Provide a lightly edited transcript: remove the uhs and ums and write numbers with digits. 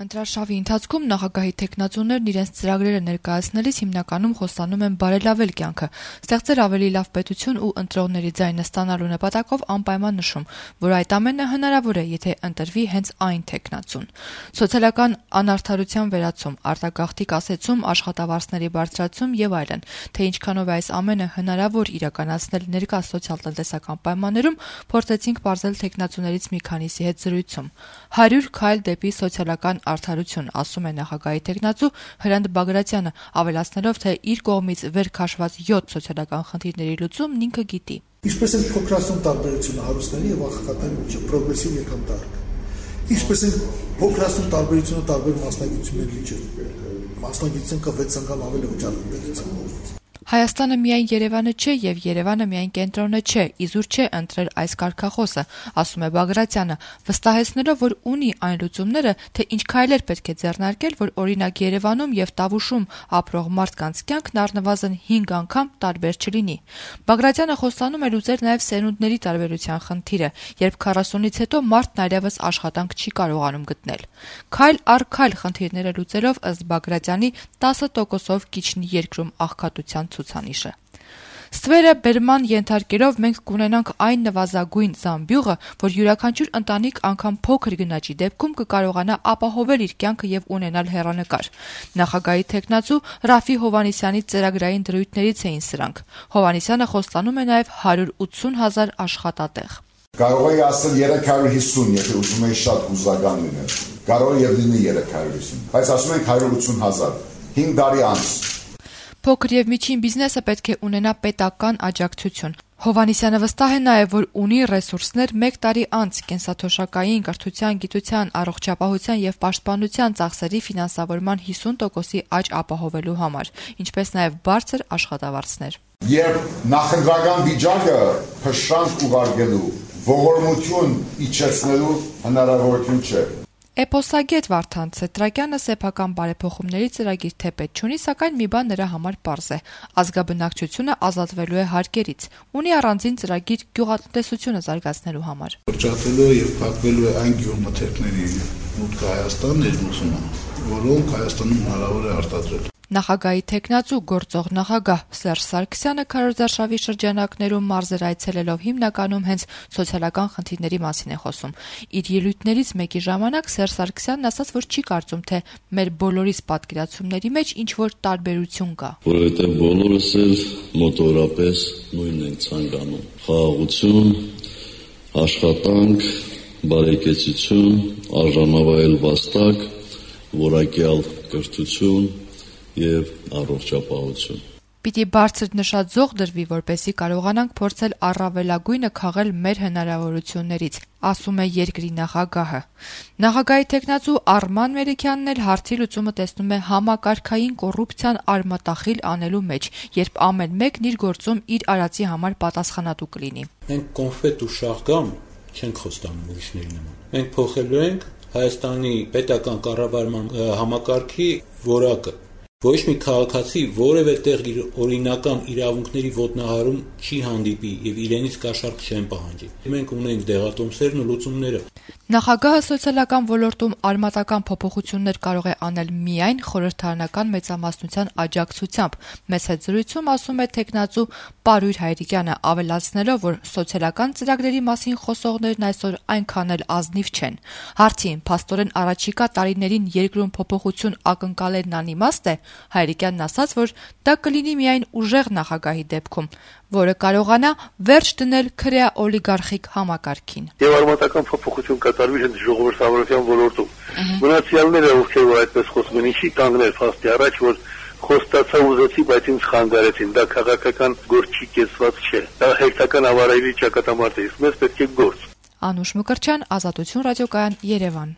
Ընտրարշավի ընթացքում նախագահի թեկնածուներն իրենց ծրագրերը ներկայացնելիս հիմնականում խոստանում են բարելավել կյանքը, ստեղծել ավելի լավ պետություն ու ընտրողների ձայնը ստանալու նպատակով անպայման նշում, որ այդ ամենը հնարավոր է, եթե ընտրվի հենց այն թեկնածուն։ Սոցիալական անարդարության վերացում, արտագաղթի կասեցում, աշխատավարձների բարձրացում եւ այլն, թե ինչքանով է այս ամենը հնարավոր իրականացնել ներկա սոցիալ-տնտեսական պայմաններում, փորձեցինք պարզել թեկնածուներից մի քանիսի հետ զրույցում։ 100 քայլ դեպի սոցիալական արդարություն, ասում է նախագահի թեկնածու Հրանտ Բագրատյանը, ավելացնելով, թե իր կողմից վեր քաշված 7 սոցիալական խնդիրների լուծումն ինքը գիտի։ Ինչպես են փոքրացնում տարբերությունը հարուստների եւ աղքատների միջեւ պրոգրեսիվ եկամտարկը։ Ինչպես են փոքրացնում տարբերությունը տարբեր մասնագիտությունների միջեւ։ Մասնագիտության կա 6 անգամ ավելի վճարում պետության։ Հայաստանը միայն Երևանը չէ եւ Երևանը միայն կենտրոնը չէ, իզուր չէ ընտրել այս կարգախոսը, ասում է Բագրատյանը, վստահեցնելով, որ ունի այն լուծումները, թե ինչ քայլեր պետք է ձեռնարկել, որ օրինակ Երևանում եւ Տավուշում ապրող մարդկանց կյանքն առնվազն 5 անգամ տարբեր չլինի։ Բագրատյանը խոստանում է լուծել նաեւ սերունդների տարբերության խնդիրը, երբ 40-ից հետո մարդն այլևս աշխատանք չի կարողանում գտնել։ Քայլ առ քայլ խնդիրները լուծելով ըստ Բագրատյանի 10%-ով կիչնի երկրում աղքատության ցուցանիշը։ Ստվերը բերման ենթարկելով մենք կունենանք այն նվազագույն զամբյուղը, որ յուրաքանչյուր ընտանիք անգամ փոքր գնաճի դեպքում կկարողանա ապահովել իր կյանքը եւ ունենալ հեռանկար։ Նախագահի թեկնածու Ռաֆի Հովհաննիսյանի ծրագրային դրույթներից էին սրանք։ Հովհաննիսյանը խոստանում է նաեւ 180,000 աշխատատեղ։ Կարող է ասել 350, եթե ուզում եք շատ հուզական լինել։ Կարող է լինի 350, բայց ասում ենք 180,000, 5 տարի անց։ Փոքր եւ միջին բիզնեսը պետք է ունենա պետական աջակցություն։ Հովհաննիսյանը վստահ է նաեւ, որ ունի ռեսուրսներ 1 տարի անց կենսաթոշակային, կրթության, գիտության, առողջապահության եւ պաշտպանության ծախսերի ֆինանսավորման 50%-ի աճ ապահովելու համար, ինչպես նաեւ բարձր աշխատավարձներ։ Երբ նախընտրական վիճակը փշրանք ուղարկելու, ողորմություն իջեցնելու հնարավորություն չէ։ Էպոսագետ Վարդան Ցետրակյանը սեփական բարեփոխումների ծրագիր թեպետ չունի, սակայն մի բան նրա համար պարզ է. ազգաբնակչությունը ազատվելու է հարկերից, ունի առանձին ծրագիր գյուղատնտեսությունը զարգացնելու համար։ Կրճատվելու է եւ փակվելու է այն գյուղմթերքների մուտքը Հայաստան ներմուծումը, որոնք Հայաստանում հնարավոր է արտադրել։ Նախագահի թեկնածու գործող նախագահ Սերժ Սարգսյանը քարոզարշավի շրջանակներում մարզեր այցելելով հիմնականում հենց սոցիալական խնդիրների մասին է խոսում։ Իր ելույթներից մեկի ժամանակ Սերժ Սարգսյանն ասաց, որ չի կարծում, թե մեր բոլորիս պատկերացումների մեջ ինչ որ տարբերություն կա։ Որովհետև բոլորս էլ մոտորապես նույնն ենք ցանկանում։ Խաղաղություն, աշխատանք, բարեկեցություն, արժանավայել վաստակ, որակյալ կրթություն եւ առողջապահություն։ Պիտի բարձր նշաձող դրվի, որպեսզի կարողանանք փորձել առավելագույնը քաղել մեր հնարավորություններից, ասում է երկրի նախագահը։ Նախագահի թեկնածու Արման Մելիքյանն էլ հարցի լուծումը տեսնում է համակարգային կոռուպցիան արմատախիլ անելու մեջ, երբ ամեն մեկն իր գործում իր արածի համար պատասխանատու կլինի։ Մենք կոնֆետ ու շաղգամ չենք խոստանում ուրիշների նման։ Մենք փոխելու ենք Հայաստանի պետական կառավարման համակարգի որակը։ Ոչ մի քաղաքացի որևէ տեղ իր օրինական իրավունքների ոտնահարում չի հանդիպի եւ իրենից կաշառք չեն պահանջի։ Մենք ունենք դեղատոմսերն ու լուծումները։ Նախագահը սոցիալական ոլորտում արմատական փոփոխություններ կարող է անել միայն խորհրդարանական մեծամասնության աջակցությամբ։ Մեծ հետ զրույցում ասում է թեկնածու Պարույր Հայրիկյանը, ավելացնելով, որ սոցիալական ծրագրերի մասին խոսողներն այսօր այնքան էլ ազնիվ չեն։ Հարցին փաստորեն առաջիկա տարիներին երկրում փոփոխություն ակնկալելն անիմաստ է, Հայրիկյանն ասաց, որ դա կլինի միայն ուժեղ նախագահի դեպքում, որը կարողանա վերջ դնել քրեա օլիգարխիկ համակարգին։ Եվ արմատական փոփոխություն կատարվի հենց ժողովրդավարության ոլորտում։ Մնացյալները, ովքեր որ այդպես խոսում են, ինչի կանգնել փաստի առաջ, որ խոստացա ուզեցի, բայց ինձ խանգարեցին։ Դա քաղաքական գործ չի, կեսված չէ։ Դա հերթական ավարայրի ճակատամարտ է, իսկ մեզ պետք է գործ։ Անուշ Մկրտչյան, Ազատություն ռադիոկայան, Երևան։